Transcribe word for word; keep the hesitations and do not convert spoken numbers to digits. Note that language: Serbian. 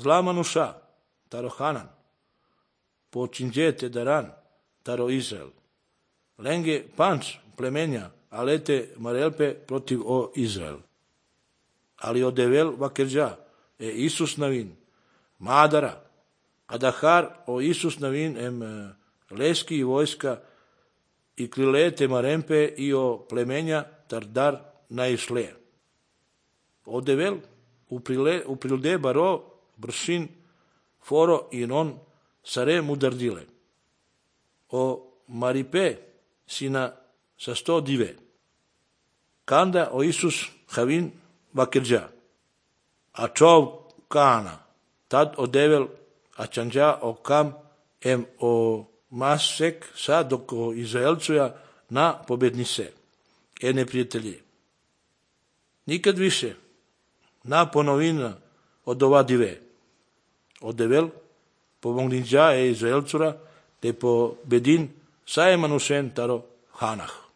zla manuša, taro Hanan, po činđete daran, taro Izrael. Lenge panč plemenja, alete marelpe protiv o Izrael. Ali odevel vakerđa, e Isus navin, madara, adahar o Isus navin em leski i vojska i krilete marempe i o plemenja tardar naisle. Odevel uprilde baro bršin foro i non sare mudardile. O maripe sina sa sto dive. Kanda o Isus havin vakerđa. A čov kana. Tad odevel a čanđa o kam em o masek sa dok o Izraelcuja na pobednise. E neprijatelji. Nikad više na ponovina od ova dive. Odevel pomogniđa e Izraelcura te po bedin sa emanušen taro Hanah.